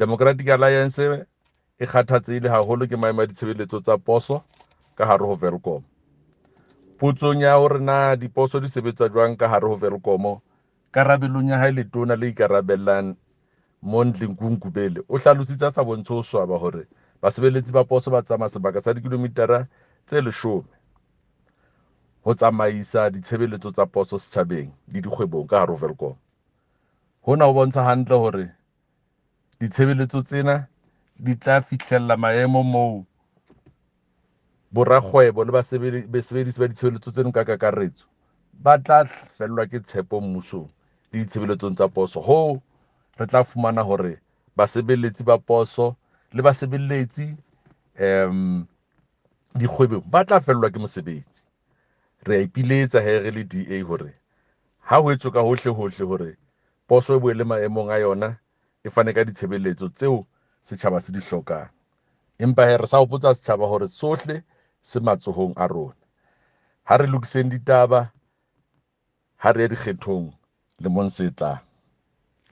Democratic Alliance e kgathatsehile haholo ke maemo a ditshebeletso tsa poso ka hare ho Welkom. Potsong ya hore na diposo di sebetsa jwang ka hare ho Welkom, karabelong ya hae letona le ikarabellang Mondli Gungubele o hlalositse a sa bontshe ho swaba hore basebeletsi ba poso ba tsamaya sebaka sa dikilomitara tse 10 ho tsamaisa ditshebeletso tsa poso setjhabeng le dikgwebong ka hare ho Welkom. Hona ho bontsha hantle hore ditshebeletso tsena di tla fihlella maemo moo borakgwebo le basebedisi ba ditshebeletso tseno ka kakaretso ba tla fellwa ke tshepo mmusong le ditshebeletsong tsa poso. Hoo re tla fumana hore basebeletsi ba poso le basebeletsi dikgwebong ba tla fellwa ke mosebetsi. Re a ipiletsa he re le DA hore ha ho etswe ka hohle hohle hore poso e boele maemong a yona, e fane ka ditshebeletso tseo setjhaba se di hlokang. Empa he re sa hopotsa setjhaba hore sohle se matsohong a rona. Ha re lokiseng ditaba, ha re ye dikgethong lemong se tlang.